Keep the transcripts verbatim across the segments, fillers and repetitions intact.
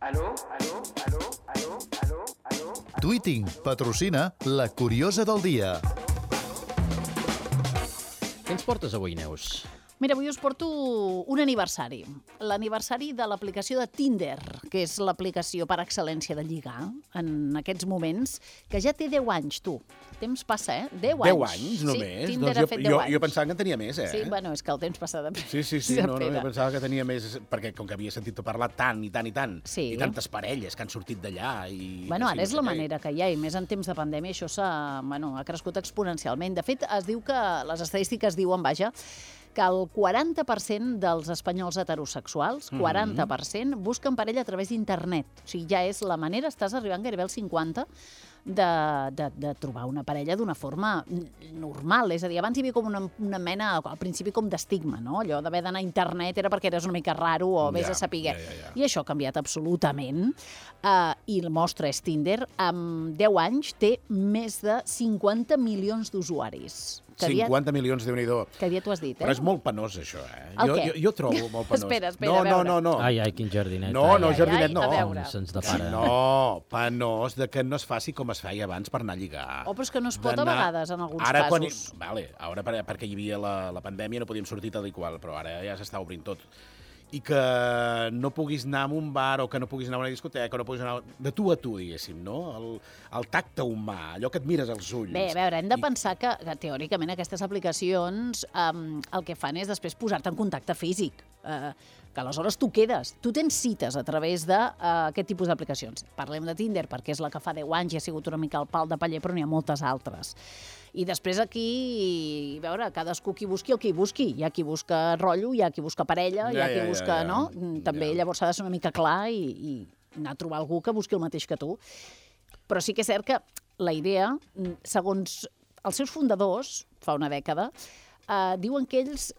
Aló, aló, aló, aló, aló, aló. Tweeting patrocina La Curiosa del Dia. Què ens portes avui, Neus? Mira, avui us porto un aniversari. L'aniversari de l'aplicació de Tinder, que és l'aplicació per excel·lència de lligar en aquests moments, que ja té deu anys, tu. Temps passa, eh? deu anys. deu anys, només? Sí, Tinder doncs ha jo, fet deu jo, anys. jo pensava que en tenia més, eh? Sí, bueno, és que el temps passa de... Sí, sí, sí, no, no, jo pensava que tenia més, perquè com que havia sentit parlar tant i tant i tant, Sí. i tantes parelles que han sortit d'allà i... Bueno, que ara sí, és no la sé què. manera que hi ha, i més en temps de pandèmia això s'ha, bueno, ha crescut exponencialment. De fet, es diu que, les estadístiques diuen, vaja, que el quaranta per cent dels espanyols heterosexuals, quaranta per cent, busquen parella a través d'internet. O sigui, ja és la manera, estàs arribant gairebé al cinquanta per cent de, de, de trobar una parella d'una forma normal. És a dir, abans hi havia com una, una mena, al principi com d'estigma, no? Allò d'haver d'anar a internet era perquè eres una mica raro o vés Ja, a saber. ja, ja, ja. I això ha canviat absolutament. Uh, I el mostra és Tinder. Amb deu anys té més de cinquanta milions d'usuaris. Que aviat- cinquanta milions, Déu-n'hi-do. Que aviat ho has dit, eh? Però és molt penós, això, eh? El Jo, què? jo, jo trobo molt penós. Espera, espera, no, a no, veure. no, no. Ai, ai, quin jardinet. No, ai, no, ai, jardinet ai, no. a veure. Com se'ns depara. No, penós de que no es faci com es feia abans per anar a lligar. Oh, però és que no es pot a D'anar- vegades, en alguns ara, quan hi- casos. Vale, ara per, perquè hi havia la, la pandèmia no podíem sortir tal i qual, però ara ja s'està obrint tot. I que no puguis anar a un bar o que no puguis anar a una discoteca, o no puguis anar de tu a tu, diguéssim, no? El, el tacte humà, allò que et mires als ulls. Bé, a veure, hem de I- pensar que, que teòricament aquestes aplicacions um, el que fan és després posar-te en contacte físic. Uh, que aleshores tu quedes, tu tens cites a través d'aquest uh, tipus d'aplicacions. Parlem de Tinder perquè és la que fa deu anys i ha sigut una mica el pal de paller, però n'hi ha moltes altres. I després aquí, a veure, cadascú qui busqui el que hi busqui. Hi ha qui busca rotllo, hi ha qui busca parella, hi ha Ja, qui ja, ja, busca, ja. no? També Ja. llavors s'ha de ser una mica clar i, i anar a trobar algú que busqui el mateix que tu. Però sí que és cert que la idea, segons els seus fundadors, fa una dècada, eh, diuen que ells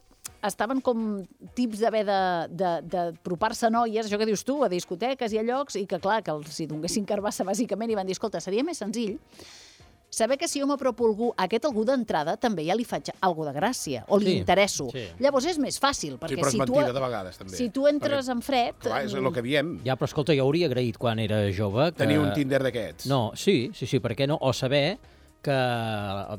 estaven com tips d'haver d'apropar-se a noies, això que dius tu, a discoteques i a llocs, i que clar, que els hi donguessin carbassa bàsicament i van dir, escolta, seria més senzill saber que si jo m'apropo a algú, a aquest algú d'entrada també ja li faig alguna de gràcia, o li Sí, interesso. sí. Llavors és més fàcil, Sí, perquè però és si tu, mentida de vegades, també. si tu entres en fred... Clar, és el que diem. Ja, però escolta, jo hauria agraït quan era jove que... Tenir un Tinder d'aquests. No, sí, sí, sí, per què no? O saber que...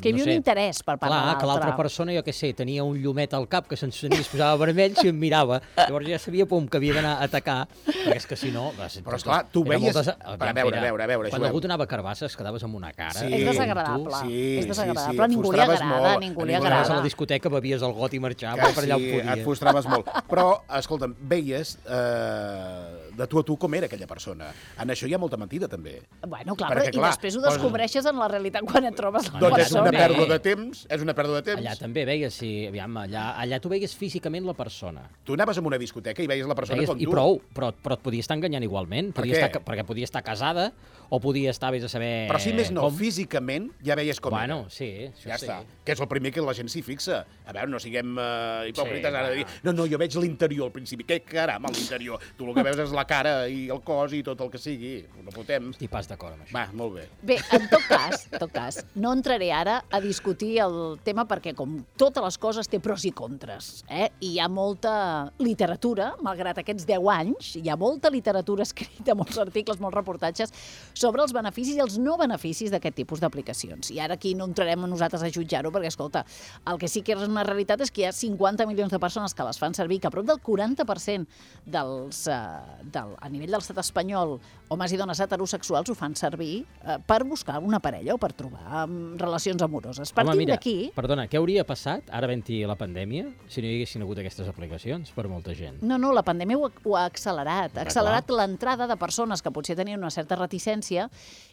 que hi havia no sé, un interès per part clar, de que l'altra l'altre. persona, jo què sé, tenia un llumet al cap que s'encenia i es posava vermell si em mirava. Llavors ja sabia, pum, que havia d'anar a atacar, perquè és que si no... Però, esclar, tu era veies- moltes- a veure, a veure, a veure, Quan juguem. algú t'anava a carbasses, quedaves amb una cara. Sí. És com desagradable. tu. Sí, és sí, desagradable. sí, Però a et ningú li frustraves agrada, molt. a ningú A li ningú li Anaves a agrada. la discoteca, bevies el got i marxaves Que per allà on sí, podies. et frustraves molt. Però, escolta'm, veies eh, de tu a tu com era aquella persona. En això hi ha molta mentida, també. Bueno, clar, Perquè, però, clar, i després ho poses- descobreixes en la realitat quan et trobes la Doncs és una també. pèrdua de temps, és una pèrdua de temps. Allà també veies, si, aviam, allà, allà tu veies físicament la persona. Tu anaves a una discoteca i veies la persona Veies, com I tu. prou, però, però et podia estar enganyant igualment. Per Podia què? estar, perquè podia estar casada o podia estar, vés a saber... Però si més no, com... físicament ja veies com Bueno, era. sí, això Ja sí. està. Que és el primer que la gent s'hi fixa. A veure, no siguem uh, hipòcrites Sí, ara de dir no, no, jo veig l'interior al principi. Què caram, a l'interior? Tu el que veus és la cara i el cos i tot el que sigui. No fotem. Estic pas d'acord amb això. Va, molt bé. Bé, en tot cas, en tot cas, no entraré ara a discutir el tema perquè, com totes les coses, té pros i contres. Eh? I hi ha molta literatura, malgrat aquests deu anys, hi ha molta literatura escrita, molts articles, molts reportatges, sobre els beneficis i els no beneficis d'aquest tipus d'aplicacions. I ara aquí no entrarem a nosaltres a jutjar-ho, perquè, escolta, el que sí que és una realitat és que hi ha cinquanta milions de persones que les fan servir, que a prop del quaranta per cent dels, eh, del, a nivell de l'estat espanyol, homes i dones heterosexuals ho fan servir eh, per buscar una parella o per trobar um, relacions amoroses. Home, Partint mira, d'aquí... perdona, què hauria passat, ara havent-hi la pandèmia, si no hi haguessin hagut aquestes aplicacions per molta gent? No, no, la pandèmia ho ha, ho ha accelerat. Ha Clar, accelerat l'entrada de persones que potser tenien una certa reticència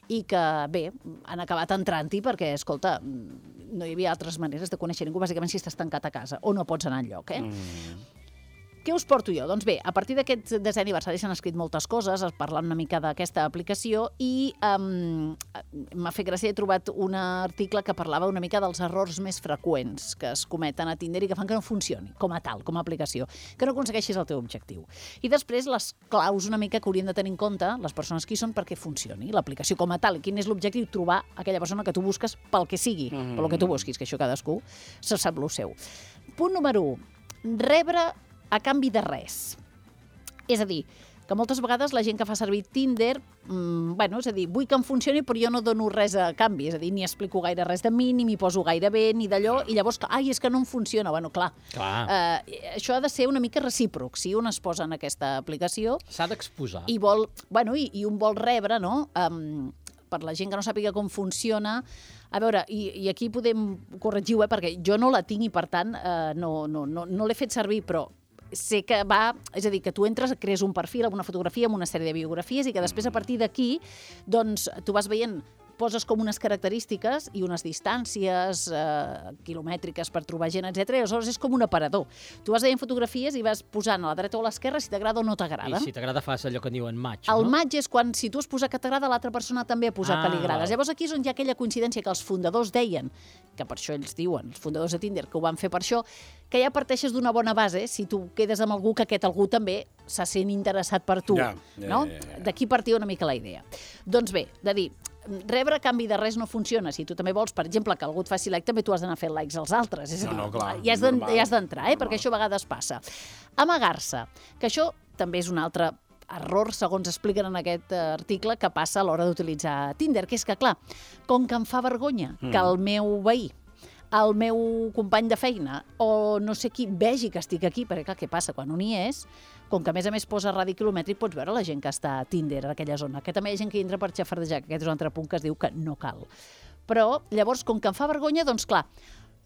i que, bé, han acabat entrant-hi perquè, escolta, no hi havia altres maneres de conèixer ningú, bàsicament si estàs tancat a casa o no pots anar enlloc, eh? Mm. Què us porto jo? Doncs bé, a partir d'aquest desè aniversari s'han escrit moltes coses, parlant una mica d'aquesta aplicació i um, m'ha fet gràcia, he trobat un article que parlava una mica dels errors més freqüents que es cometen a Tinder i que fan que no funcioni com a tal, com a aplicació, que no aconsegueixis el teu objectiu. I després les claus una mica que haurien de tenir en compte les persones que hi són perquè funcioni l'aplicació com a tal. Quin és l'objectiu? Trobar aquella persona que tu busques pel que sigui, mm. pel que tu busquis, que això cadascú se sap lo seu. Punt número u, rebre a canvi de res. És a dir, que moltes vegades la gent que fa servir Tinder, mmm, bueno, és a dir, vull que em funcioni però jo no dono res a canvi, és a dir, ni explico gaire res de mi, ni m'hi poso gaire bé, ni d'allò, i llavors, ai, és que no em funciona. Bueno, clar, Clar. Eh, això ha de ser una mica recíproc. Si un es posa en aquesta aplicació S'ha d'exposar. i vol, bueno, i, i un vol rebre, no?, um, per la gent que no sàpiga com funciona. A veure, i, i aquí podem corregir, eh, perquè jo no la tinc i, per tant, eh, no, no, no, no l'he fet servir, però sé que va... És a dir, que tu entres, crees un perfil amb una fotografia, amb una sèrie de biografies, i que després, a partir d'aquí, doncs, tu vas veient, poses com unes característiques i unes distàncies eh, quilomètriques per trobar gent, etcètera. I aleshores és com un aparador. Tu vas veient fotografies i vas posant a la dreta o a l'esquerra si t'agrada o no t'agrada. I si t'agrada fas allò que en diuen match, El no? match és quan, si tu has posat que t'agrada, l'altra persona també ha posat Ah, que li agrades. val. Llavors aquí és on hi ha aquella coincidència que els fundadors deien, que per això ells diuen, els fundadors de Tinder, que ho van fer per això, que ja parteixes d'una bona base, si tu quedes amb algú, que aquest algú també se sent interessat per tu. Ja, ja, no? ja, ja, ja. D'aquí partia una mica la idea. Doncs bé, de dir, rebre a canvi de res no funciona. Si tu també vols, per exemple, que algú et faci like, també tu has d'anar fent likes als altres. És a dir, No, no, clar, ja has d'en- normal, ja has d'entrar, eh? normal. Perquè això a vegades passa. Amagar-se, que això també és un altre error, segons expliquen en aquest eh, article, que passa a l'hora d'utilitzar Tinder, que és que, clar, com que em fa vergonya Mm. que el meu veí, el meu company de feina o no sé qui vegi que estic aquí, perquè clar, què passa? Quan un hi és, com que a més a més posa radi quilomètric, pots veure la gent que està a Tinder, a aquella zona, que també hi ha gent que entra per xafardejar, que aquest és un altre punt que es diu que no cal. Però llavors, com que em fa vergonya, doncs clar,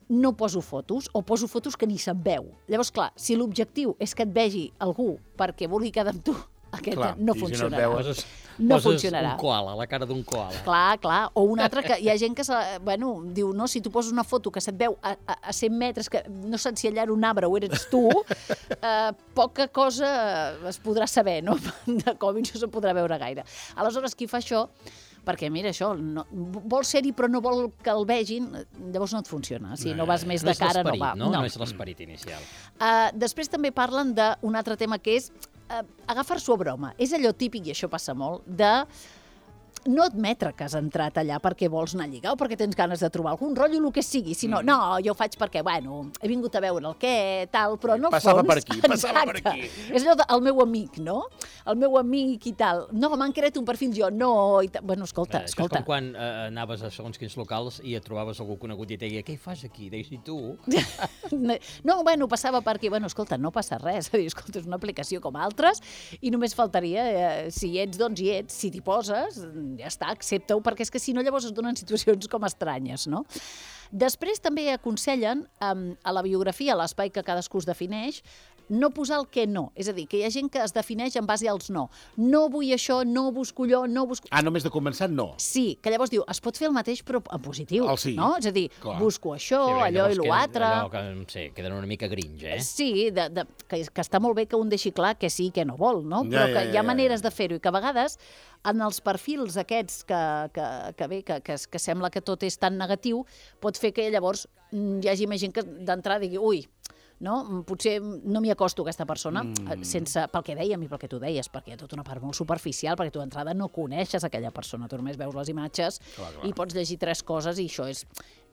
no poso fotos o poso fotos que ni se'n veu. Llavors, clar, si l'objectiu és que et vegi algú perquè vulgui quedar amb tu, aquest Clar, no i si no et funcionarà. veu- Poses, No poses funcionarà. un koala, la cara d'un koala. Clar, clar. O un altre que hi ha gent que, se, bueno, diu, no, si tu poses una foto que se't veu a, a, a cent metres, que no saps si allà era un arbre o eres tu, eh, poca cosa es podrà saber, no? De com no se podrà veure gaire. Aleshores, qui fa això, perquè mira, això, no, vol ser-hi però no vol que el vegin, llavors no et funciona. Si no vas més No de és cara, no l'esperit, va. no? No és l'esperit inicial. Uh, després també parlen d'un altre tema que és uh, agafar-s'ho a broma. És allò típic, i això passa molt, de no admetre que has entrat allà perquè vols anar a lligar o perquè tens ganes de trobar algun rotllo, el que sigui, sinó, mm. no, jo ho faig perquè, bueno, he vingut a veure el què, tal, però no Passava fons... per aquí, passava per Exacte. aquí. És allò del meu amic, no? El meu amic i tal. No, m'han creat un perfil, jo no... I tal. Bueno, escolta, Eh, això escolta. és com quan eh, anaves a segons quins locals i et trobaves algú conegut i et deia, què hi fas aquí? Deies, i tu? No, bueno, passava per aquí. Bueno, escolta, no passa res. És a dir, escolta, és una aplicació com altres i només faltaria, eh, si hi ets, doncs hi ets. Si t'hi poses, ja està, accepta-ho, perquè és que si no llavors es donen situacions com estranyes, no? Després també aconsellen um, a la biografia, a l'espai que cadascú es defineix, no posar el que no. És a dir, que hi ha gent que es defineix en base als no. No vull això, no busco allò, no busco... Ah, només de començar, no. Sí, que llavors diu, es pot fer el mateix però en positiu, El sí. no? És a dir, Clar. busco això, Sí, perquè allò i llavors queden- l'altre... Allò que, no sé, queden una mica gringe, eh? Sí, de, de, que, que està molt bé que un deixi clar que sí i que no vol, no? Ja, Però ja, que ja, hi ha ja. maneres de fer-ho i que a vegades en els perfils aquests que, que, que bé, que, que, que sembla que tot és tan negatiu, pot fer que llavors mm, hi hagi més gent que d'entrada digui, ui, no? Potser no m'hi acosto a aquesta persona, mm. sense, pel que dèiem i pel que tu deies, perquè hi ha tota una part molt superficial, perquè tu d'entrada no coneixes aquella persona, tu només veus les imatges Clar, clar. i pots llegir tres coses i això és,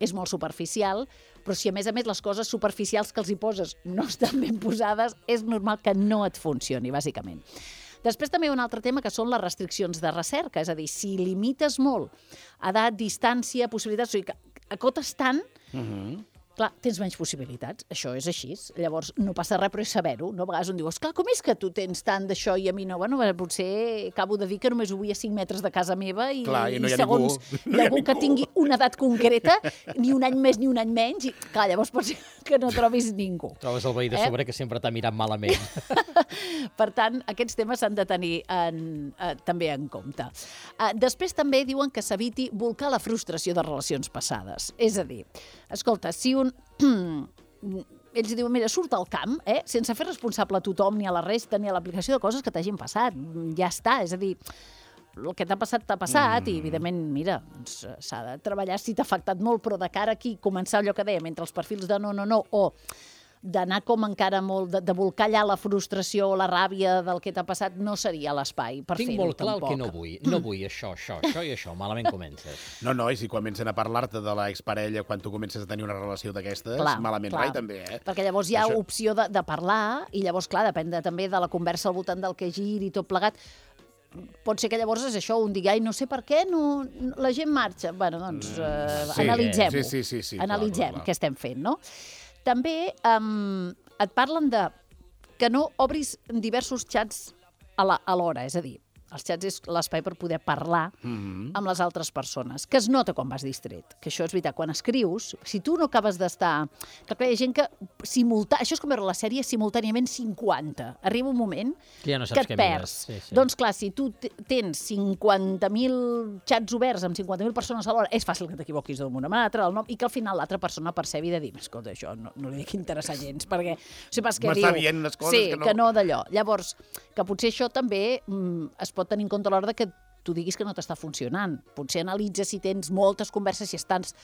és molt superficial, però si a més a més les coses superficials que els hi poses no estan ben posades, és normal que no et funcioni, bàsicament. Després també hi ha un altre tema que són les restriccions de recerca, és a dir, si limites molt edat, distància, possibilitats, o sigui, que acotes tant, Uh -huh. clar, tens menys possibilitats, això és així. Llavors, no passa res, però és saber-ho. No? A vegades un diu, esclar, com és que tu tens tant d'això i a mi no? Bueno, potser acabo de dir que només ho vull a cinc metres de casa meva i, Clar, i no hi ha segons ningú. No hi ha algú que ningú. tingui una edat concreta, ni un any més ni un any menys, i clar, llavors pot ser que no trobis ningú. Trobes el veí de Eh? sobre que sempre t'ha mirat malament. Per tant, aquests temes s'han de tenir en, eh, també en compte. Eh, després també diuen que s'eviti volcar la frustració de relacions passades. És a dir, escolta, si un... ells diuen, mira, surt al camp, eh, sense fer responsable a tothom, ni a la resta, ni a l'aplicació de coses que t'hagin passat. Ja està, és a dir, el que t'ha passat, t'ha passat, mm. i evidentment, mira, doncs, s'ha de treballar si t'ha afectat molt, però de cara aquí, començar allò que dèiem, entre els perfils de no, no, no, o d'anar com encara molt, de, de volcar allà la frustració o la ràbia del que t'ha passat, no seria l'espai per fer-ho, Tinc molt clar tampoc. el que no vull. No vull això, això, això i això. Malament comences. No, no, i si comencen a parlar-te de l'exparella quan tu comences a tenir una relació d'aquestes, Clar, malament clar. rai també, eh? Perquè llavors hi ha Això- opció de, de parlar i llavors, clar, depèn de, també de la conversa al voltant del que giri i tot plegat. Pot ser que llavors és això, un digui, ai, no sé per què no, no, la gent marxa. Bueno, doncs eh, sí, analitzem-ho. sí, sí, sí, sí, clar, Analitzem clar, clar. què estem fent, no? També um, et parlen de que no obris diversos xats a la- alhora, és a dir, els xats és l'espai per poder parlar Mhm. amb les altres persones, que es nota quan vas distret, que això és veritat, quan escrius, si tu no acabes d'estar... Que clar, hi ha gent que simultà... Això és com veure la sèrie simultàniament cinquanta. Arriba un moment Que ja no que saps et què perds. mires. Sí, sí. Doncs clar, si tu t- tens cinquanta mil xats oberts amb cinquanta mil persones alhora, és fàcil que t'equivoquis d'un amb l'altre, el nom, i que al final l'altra persona percebi de dir, escolta, això no, no li dic interessar gens, perquè... O sigui, pas que M'està diu, dient unes coses sí, que no- que no d'allò. Llavors, que potser això també mm, es pot tenir en compte a l'hora de que tu diguis que no t'està funcionant. Potser analitza si tens moltes converses, si estàs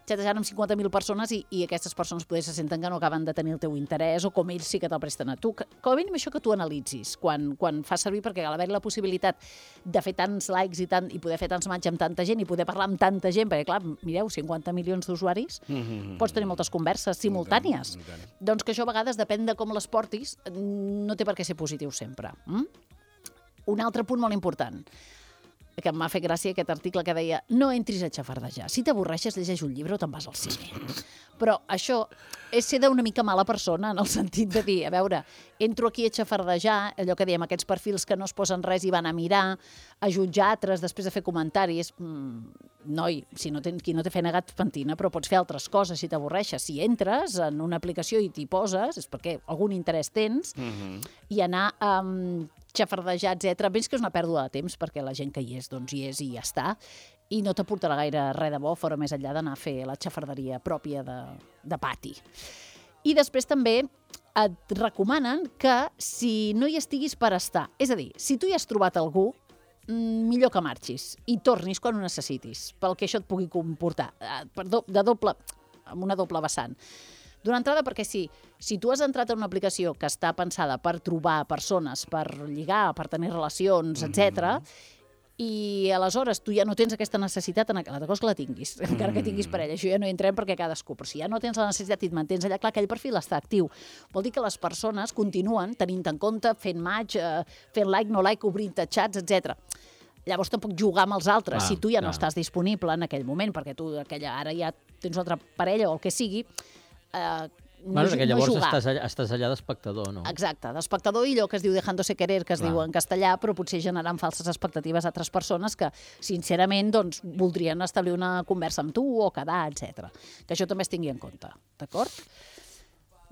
xatejant amb cinquanta mil persones i, i aquestes persones poder se senten que no acaben de tenir el teu interès o com ells sí que te'l presten a tu. Que, com a mínim això que tu analitzis quan, quan fas servir, perquè al haver la possibilitat de fer tants likes i, tant, i poder fer tants matxs amb tanta gent i poder parlar amb tanta gent, perquè clar, mireu, cinquanta milions d'usuaris, Mhm. pots tenir moltes converses simultànies. I tant. Doncs que això a vegades, depèn de com les portis, no té per què ser positiu sempre. Mm? Un altre punt molt important, que em va fer gràcia aquest article que deia no entris a xafardejar. Si t'avorreixes, llegeix un llibre o te'n vas al cine. Però això és ser d'una mica mala persona, en el sentit de dir, a veure, entro aquí a xafardejar, allò que dèiem, aquests perfils que no es posen res i van a mirar, a jutjar altres, després de fer comentaris. Mm, noi, si no tens, qui no té feina gat pentina, però pots fer altres coses si t'avorreixes. Si entres en una aplicació i t'hi poses, és perquè algun interès tens, Mhm. i anar a um, xafardejar, etcètera. Veig que és una pèrdua de temps, perquè la gent que hi és, doncs hi és i ja està, i no t'aportarà gaire res de bo, fora més enllà d'anar a fer la xafarderia pròpia de, de pati. I després també et recomanen que si no hi estiguis per estar, és a dir, si tu hi has trobat algú, mm, millor que marxis i tornis quan ho necessitis, pel que això et pugui comportar. Eh, per do, de doble, amb una doble vessant. D'una entrada, perquè si, si tu has entrat en una aplicació que està pensada per trobar persones, per lligar, per tenir relacions, etcètera, i aleshores tu ja no tens aquesta necessitat, en l'altra cosa que la tinguis, encara que tinguis parella, això ja no hi entrem perquè cadascú, però si ja no tens la necessitat i et mantens allà, clar, aquell perfil està actiu. Vol dir que les persones continuen tenint en compte, fent match, eh, fent like, no like, obrint xats, etcètera. Llavors tampoc jugar amb els altres, Clar, si tu ja no clar. estàs disponible en aquell moment, perquè tu aquella, ara ja tens una altra parella o el que sigui, eh, no, Bueno, ju- perquè no llavors jugar. estàs allà, estàs allà d'espectador, no? Exacte, d'espectador i allò que es diu dejándose querer, que es Clar. diu en castellà, però potser generant falses expectatives a altres persones que, sincerament, doncs, voldrien establir una conversa amb tu o quedar, etcètera. Que això també es tingui en compte, d'acord?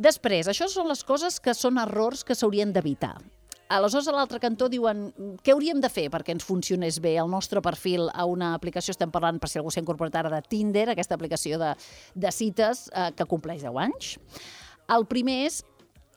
Després, això són les coses que són errors que s'haurien d'evitar. Aleshores, a l'altre cantó diuen què hauríem de fer perquè ens funcionés bé el nostre perfil a una aplicació, estem parlant, per si algú s'ha incorporat ara, de Tinder, aquesta aplicació de, de cites eh, que compleix deu anys. El primer és,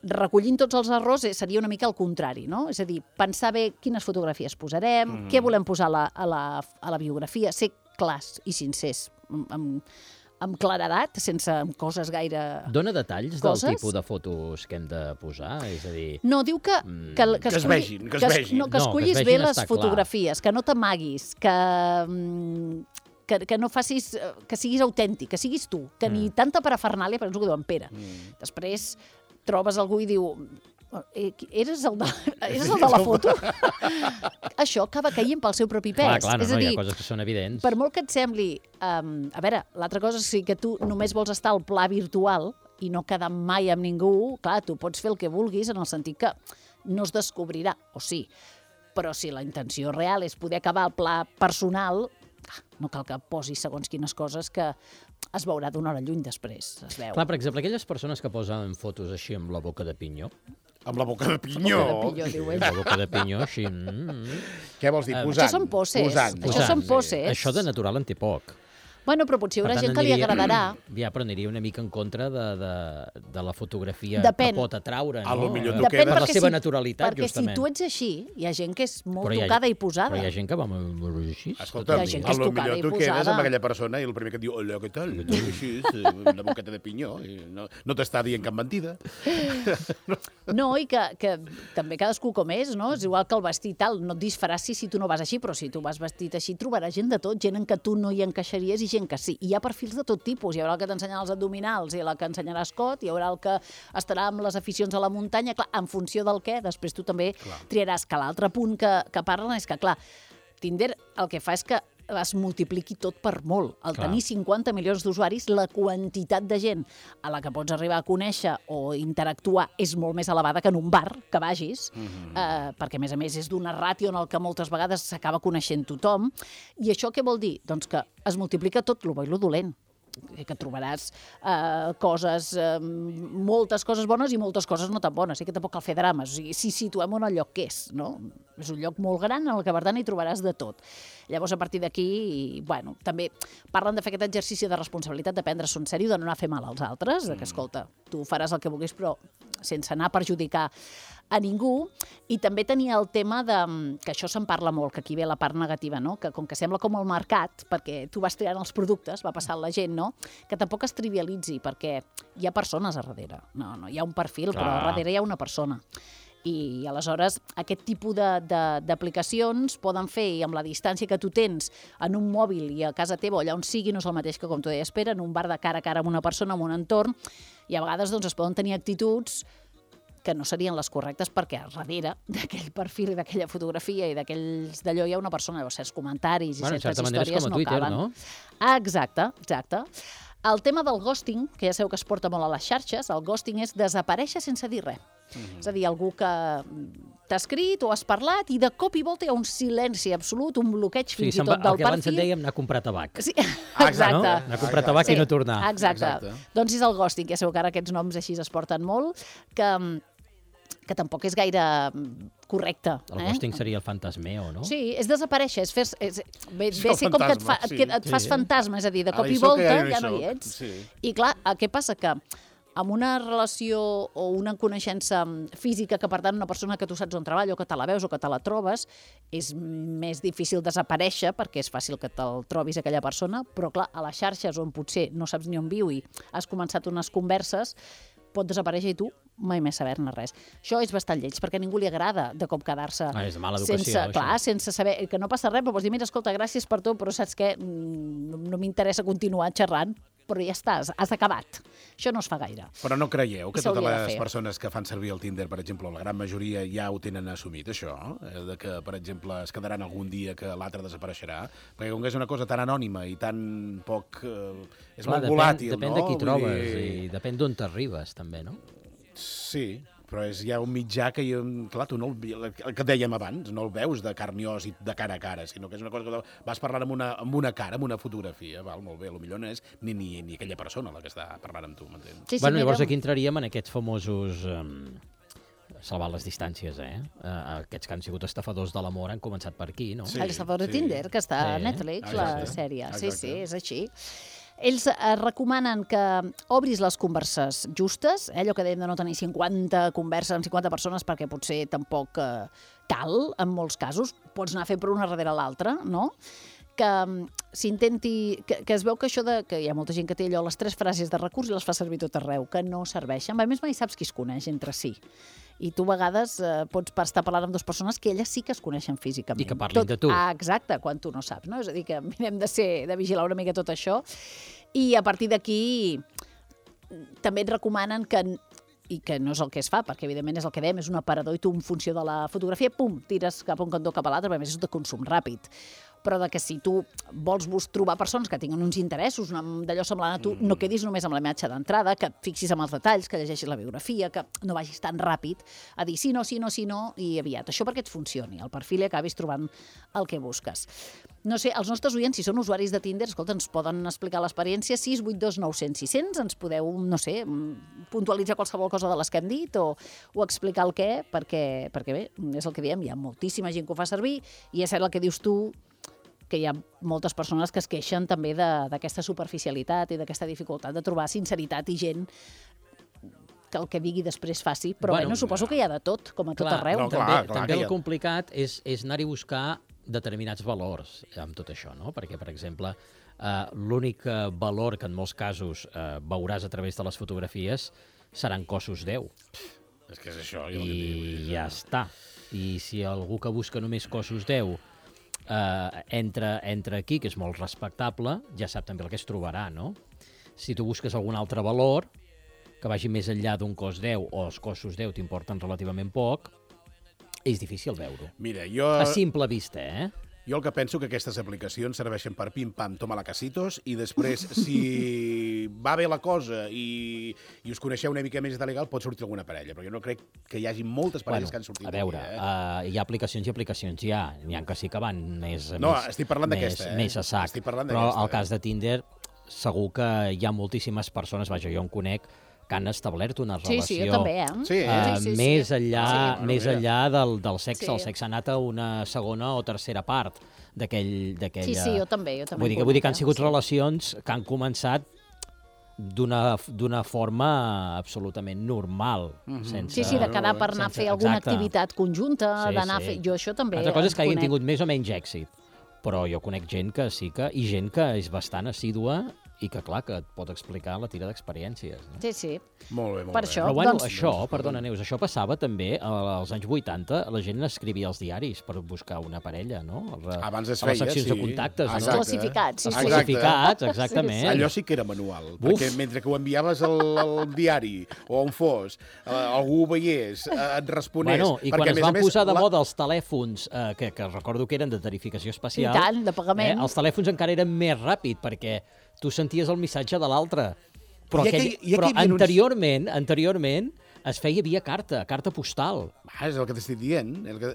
recollint tots els errors, eh, seria una mica el contrari, no? És a dir, pensar bé quines fotografies posarem, mm. què volem posar a la, a, la, a la biografia, ser clars i sincers, amb, amb, amb claredat, sense amb coses gaire... Dóna detalls Coses? del tipus de fotos que hem de posar? És a dir, No, diu que... Que, que, Que es escolli- vegin, que es vegin. No, que No, que es escollis vegin bé les està clar. fotografies, que no t'amaguis, que, mm, que, que no facis... eh, que siguis autèntic, que siguis tu, que ni tanta parafernàlia, per exemple, que diu en Pere. Després trobes algú i diu... Eh, qui- eres el de, eres el de la foto? Això acaba caient pel seu propi pes. clar, clar, no, és a no, dir, hi ha coses que són evidents. per molt que et sembli... Um, a veure, l'altra cosa és que tu només vols estar al pla virtual i no quedar mai amb ningú, clar, tu pots fer el que vulguis en el sentit que no es descobrirà, o sí, però si la intenció real és poder acabar al pla personal, no cal que posis segons quines coses que es veurà d'una hora lluny després, es veu. Clar, per exemple, aquelles persones que posen fotos així amb la boca de pinyó, Amb la boca de pinyó. Boca de pinyó, diu ell. la boca de pinyó així... Mm, Què vols dir? Eh, Posant. Això són poses. Posant. Això són posant, poses. Això de natural en té poc. Bueno, però potser hi haurà Per tant, gent que li aniria- agradarà. Ja, però aniria una mica en contra de, de, de la fotografia Depèn. que pot atraure, no? A lo millor tu Eh, quedes- Per la perquè seva si- naturalitat, perquè justament. si tu ets així, hi ha gent que és molt Però hi ha- tocada i posada. Però hi ha gent que va molt, molt així. Escolta, Hi ha gent que a és lo tocada millor i tu quedes posada. amb aquella persona i el primer que et diu, hola, què tal? Així, eh, una boqueta de pinyó. I no no t'està dient cap mentida. No, i que, que també cadascú com és, no? És igual que el vestit tal, no et disfressis si tu no vas així, però si tu vas vestit així trobaràs gent de tot, gent en què tu no hi encaixaries i gent que sí. I hi ha perfils de tot tipus. Hi haurà el que t'ensenyarà els abdominals i la que ensenyarà escot, hi haurà el que estarà amb les aficions a la muntanya. Clar, en funció del què, després tu també clar. triaràs. Que l'altre punt que, que parlen és que, clar, Tinder el que fa és que es multipliqui tot per molt. Al Clar. tenir cinquanta milions d'usuaris, la quantitat de gent a la que pots arribar a conèixer o interactuar és molt més elevada que en un bar que vagis, mm-hmm. eh, perquè, a més a més, és d'una ràtio en el que moltes vegades s'acaba coneixent tothom. I això què vol dir? Doncs que es multiplica tot lo bo i lo dolent. Que trobaràs eh, coses, eh, moltes coses bones i moltes coses no tan bones, i que tampoc cal fer drames. O sigui, si situem on el lloc que és, no? És un lloc molt gran en el que, per tant, hi trobaràs de tot. Llavors, a partir d'aquí, bueno, també parlen de fer aquest exercici de responsabilitat, de prendre-s'ho en sèrio, de no anar a fer mal als altres, de que, escolta, tu faràs el que vulguis, però sense anar a perjudicar a ningú. I també tenia el tema de, que això se'n parla molt, que aquí ve la part negativa, no? Que com que sembla com el mercat, perquè tu vas triant els productes, va passant la gent, no? Que tampoc es trivialitzi, perquè hi ha persones a darrere. No, no, hi ha un perfil, Clar. però a darrere hi ha una persona. I aleshores aquest tipus de- de- d'aplicacions poden fer, i amb la distància que tu tens en un mòbil i a casa teva o allà on sigui, no és el mateix que, com tu deies, Pere, en un bar de cara a cara amb una persona, en un entorn, i a vegades doncs, es poden tenir actituds que no serien les correctes perquè al darrere d'aquell perfil i d'aquella fotografia i d'aquells d'allò hi ha una persona, llavors certs comentaris i Bueno, en certes certa manera és històries com a no Twitter, caben. no? Ah, exacte, exacte. El tema del ghosting, que ja sabeu que es porta molt a les xarxes, el ghosting és desaparèixer sense dir res. Mm-hmm. És a dir, algú que t'ha escrit o has parlat i de cop i volta hi ha un silenci absolut, un bloqueig Sí, fins i se'n va, tot del el que abans en perfil. dèiem anar a comprar tabac. Sí, exacte. exacte. No? Anar a comprar tabac i no tornar. Exacte. Exacte. Doncs és el ghosting, ja sabeu que ara aquests noms així es porten molt, que, que tampoc és gaire correcte. El eh? ghosting seria el fantasmeo, no? Sí, és desaparèixer, és fer, és, ve, És ve el ser com que et, fa, fantasma, et, que et sí. fas Sí. fantasma, és a dir, de Ara cop hi i soc, volta ja no hi ja no hi soc. ets. Sí. I clar, què passa? Que amb una relació o una coneixença física, que per tant una persona que tu saps on treballa o que te la veus o que te la trobes, és més difícil desaparèixer perquè és fàcil que te'l trobis aquella persona, però clar, a les xarxes on potser no saps ni on viu i has començat unes converses, pot desaparèixer i tu mai més saber-ne res. Això és bastant lleig, perquè a ningú li agrada de cop quedar-se Ah, és de mala educació, sense, això. clar, sense saber, que no passa res, però pots dir, mira, escolta, gràcies per tot, però saps què? Mm, No, no m'interessa continuar xerrant, però ja està, has, has acabat. Això no es fa gaire. Però no creieu que I totes s'hauria de les fer. persones que fan servir el Tinder, per exemple, la gran majoria ja ho tenen assumit, això? Eh, De que, per exemple, es quedaran algun dia que l'altre desapareixerà? Perquè com que és una cosa tan anònima i tan poc... Eh, és Clar, molt depèn, volàtil, depèn no? de qui Vull trobes dir- i depèn d'on t'arribes, també, no? Sí, però és ja un mitjà que, jo, clar, tu no el, el que dèiem abans, no el veus de carn i os i de cara a cara, sinó que és una cosa que vas parlant amb una, amb una cara, amb una fotografia, val, molt bé, potser no és ni, ni, ni aquella persona la que està parlant amb tu, m'entens? Sí, sí, bueno, llavors mira, aquí entraríem en aquests famosos... Um, salvar les distàncies, eh? Uh, aquests que han sigut estafadors de l'amor han començat per aquí, no? Sí. el estafador de sí. Tinder, que està a Sí. Netflix, la Exacte. sèrie. Sí, Exacte. sí, és així. Ells eh, recomanen que obris les converses justes, eh, allò que dèiem de no tenir cinquanta converses amb cinquanta persones, perquè potser tampoc eh, cal, en molts casos. Pots anar fent per una darrere l'altra, no? Que mm, s'intenti... Que, que es veu que això de... que hi ha molta gent que té allò, les tres frases de recurs i les fa servir tot arreu, que no serveixen. A més, mai saps qui es coneix entre si. I tu a vegades eh, pots estar parlant amb dues persones que elles sí que es coneixen físicament. I que parlin de tu. Ah, exacte, quan tu no saps, no? És a dir, que mirem de ser, de vigilar una mica tot això. I a partir d'aquí també et recomanen que i que no és el que es fa, perquè evidentment és el que dèiem, és un aparador i tu en funció de la fotografia, pum, tires cap a un cantó cap a l'altre, perquè a més és de consum ràpid. Però de que si tu vols bus trobar persones que tinguin uns interessos, d'allò semblant a tu, no quedis només amb la imatge d'entrada, que et fixis en els detalls, que llegeixis la biografia, que no vagis tan ràpid a dir sí, no, sí, no, sí, no, i aviat. Això perquè et funcioni, el perfil i acabis trobant el que busques. No sé, els nostres oients, si són usuaris de Tinder, escolta, ens poden explicar l'experiència, sis vuit dos nou cents sis cents, ens podeu, no sé, puntualitzar qualsevol cosa de les que hem dit o, o explicar el què, perquè, perquè bé, és el que diem, hi ha moltíssima gent que ho fa servir i és cert el que dius tu, que hi ha moltes persones que es queixen també d'aquesta superficialitat i d'aquesta dificultat de trobar sinceritat i gent que el que digui després faci, però bueno, bueno suposo que hi ha de tot, com a tot clar, arreu. No, clar, també clar, també el ha... complicat és, és anar-hi a buscar determinats valors amb tot això, no? Perquè, per exemple, eh, l'únic valor que en molts casos eh, veuràs a través de les fotografies seran cossos Déu. És que és això. Jo I ja està. I si algú que busca només cossos Déu eh, entra, entra aquí, que és molt respectable, ja sap també el que es trobarà, no? Si tu busques algun altre valor que vagi més enllà d'un cos Déu o els cossos Déu t'importen relativament poc, és difícil veure-ho. Mira, jo... A simple vista, eh? Jo el que penso que aquestes aplicacions serveixen per pim-pam, toma la casitos, i després, si va bé la cosa i, i us coneixeu una mica més de legal, pot sortir alguna parella, però jo no crec que hi hagi moltes parelles Bueno, que han sortit a veure, aquí, eh? uh, hi ha aplicacions i aplicacions, hi ha. N'hi ha que sí que van més, No, més, estic parlant més, d'aquesta, eh? més a sac. Estic parlant Però d'aquesta, al cas de Tinder, segur que hi ha moltíssimes persones, vaja, jo en conec, que han establert una Sí, relació sí, jo també, eh? Sí, eh? Uh, Sí, sí, sí. més enllà, Sí, bueno, més mira. enllà del, del sexe. Sí. El sexe ha anat a una segona o tercera part d'aquell... Sí, sí, jo també, jo també. Vull dir, que, en vull dir que han conec, sigut sí. relacions que han començat d'una d'una forma absolutament normal. sense... Sí, sí, de quedar per anar a sense- fer alguna exacte. activitat conjunta, Sí, d'anar sí. a fer... Jo això també Altra cosa és en que hagin conec. tingut més o menys èxit, però jo conec gent que sí que... i gent que és bastant assídua i que, clar, que et pot explicar la tira d'experiències. No? Sí, sí. Molt bé, molt Per bé. això. Però bueno, doncs- això, perdona, Neus, això passava també als anys vuitanta, la gent escrivia als diaris per buscar una parella, no? A, Abans es a les feia, seccions sí. de contactes, Exacte. no? Classificats, sí, Els sí. classificats, exactament. Allò sí que era manual, Uf. perquè mentre que ho enviaves al, al diari o on fos, eh, algú ho veiés, eh, et responés... Bueno, i quan perquè, es a més a van més, posar de la- moda els telèfons, eh, que, que recordo que eren de tarificació especial... I tant, de pagament. Eh, els telèfons encara eren més ràpid, perquè tu senties el missatge de l'altre. Però, I aquell, aquell- i però aquell havia uns- anteriorment, anteriorment es feia via carta, carta postal. Ah, és el que t'estic dient. El que...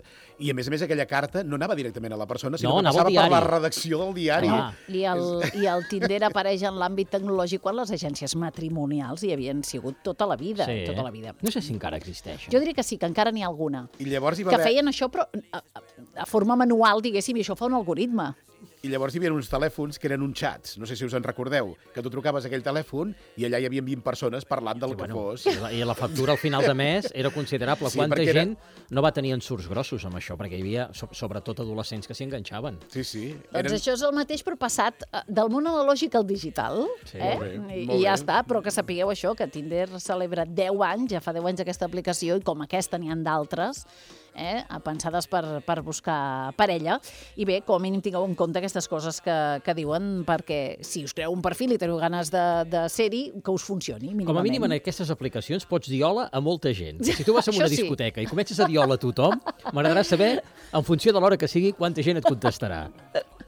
I a més a més aquella carta no anava directament a la persona, sinó No, que anava al passava per la diari. redacció del diari. Clar. I el, I el Tinder apareix en l'àmbit tecnològic quan les agències matrimonials hi havien sigut tota la vida. Tota la vida. No sé si encara existeix. Jo diria que sí, que encara n'hi ha alguna. I llavors hi va Que haver... feien això, però a, a, a forma manual, diguéssim, i això fa un algoritme. I llavors hi havia uns telèfons que eren uns xats, no sé si us en recordeu, que tu trucaves a aquell telèfon i allà hi havia vint persones parlant del Sí, que bueno, fos. I la, I la factura al final de mes era considerable. Sí, Quanta perquè era- gent no va tenir ensurts grossos amb això? Perquè hi havia, so, sobretot, adolescents que s'hi enganxaven. Sí, sí. Doncs això és el mateix, però passat eh, del món analògic al digital. Sí, eh? molt bé, I, molt I ja bé. està, però que sapigueu això, que Tinder celebra deu anys, ja fa deu anys aquesta aplicació, i com aquesta n'hi ha d'altres, eh? pensades per, per buscar parella. I bé, com a mínim tingueu en compte aquestes coses que, que diuen, perquè si us creeu un perfil i teniu ganes de, de ser-hi, que us funcioni, mínimament. Com a mínim en aquestes aplicacions pots dir hola a molta gent. Si tu vas a Això una sí. discoteca i comences a dir hola a tothom, m'agradarà saber, en funció de l'hora que sigui, quanta gent et contestarà.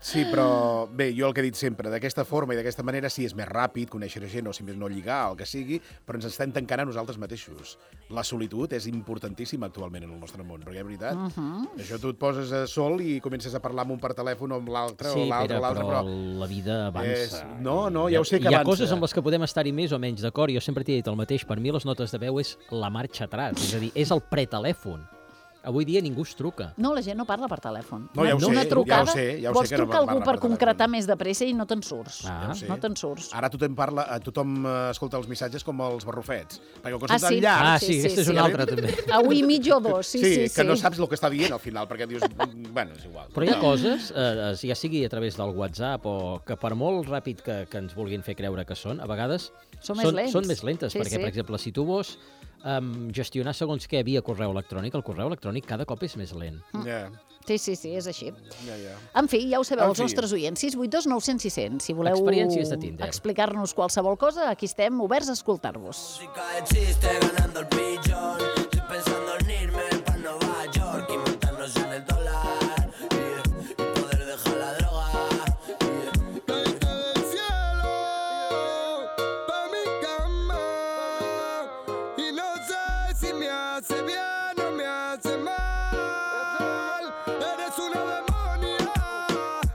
Sí, però bé, jo el que he dit sempre, d'aquesta forma i d'aquesta manera sí és més ràpid conèixer gent o si més no lligar, el que sigui, però ens estem tancant a nosaltres mateixos. La solitud és importantíssima actualment en el nostre món, perquè és veritat, uh -huh. això tu et poses a sol i comences a parlar amb un per telèfon o amb l'altre Sí, o l'altre, Pere, l'altre, però però... la vida avança. És... No, no, ja ho sé que Hi ha avança. coses amb les que podem estar-hi més o menys d'acord. Jo sempre t'he dit el mateix. Per mi les notes de veu és la marxa atrás. És a dir, és el pretelèfon. Avui dia ningú es truca. No, la gent no parla per telèfon. No, ja ho Una- sé, una ja ho trucada, sé, ja ho vols sé que no trucar algú parla per per concretar telèfon. més de pressa i no te'n surts. Ah. Ja ho sé. No te'n surts. Ara tothom parla, eh, tothom eh, escolta els missatges com els barrufets, perquè com que Ah, són sí? tan llargs... Ah, sí, aquesta és una altra, també. Avui mig o dos, sí, sí, sí. que no saps el que està dient al final, perquè dius... mm, Bueno, és igual. Però hi ha No. coses, eh, ja sigui a través del WhatsApp o que per molt ràpid que, que ens vulguin fer creure que són, a vegades Són més lents. són més lentes, Sí, perquè, sí. per exemple, si tu vols um, gestionar segons què via correu electrònic, el correu electrònic cada cop és més lent. Ja, Sí, sí, sí, és així. ja, ja. En fi, ja ho sabeu, En els fi. nostres oients, sis vuit dos nou cents sis cents. Si voleu Experiències de Tinder. explicar-nos qualsevol cosa, aquí estem oberts a escoltar-vos. Música de chiste ganando el billón. Estoy pensando en irme para Nueva York y montarnos en el dólar. Yeah. Y poder dejar la droga. Yeah. Caíste del cielo pa' mi cama y no sé si me hace bien o me hace mal. Eres una demonia,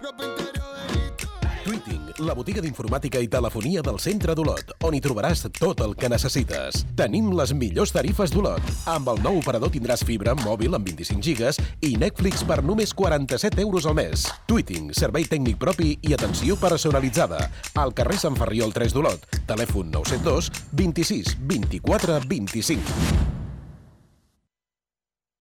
ropa interior de Tweeting la botiga d'informàtica i telefonia del centre d'Olot, on hi trobaràs tot el que necessites. Tenim les millors tarifes d'Olot. Amb el nou operador tindràs fibra mòbil amb vint-i-cinc gigas i Netflix per només quaranta-set euros al mes. Tweeting, servei tècnic propi i atenció personalitzada. Al carrer Sant Ferriol tres d'Olot. Telèfon nou set dos, vint-i-sis, vint-i-quatre, vint-i-cinc.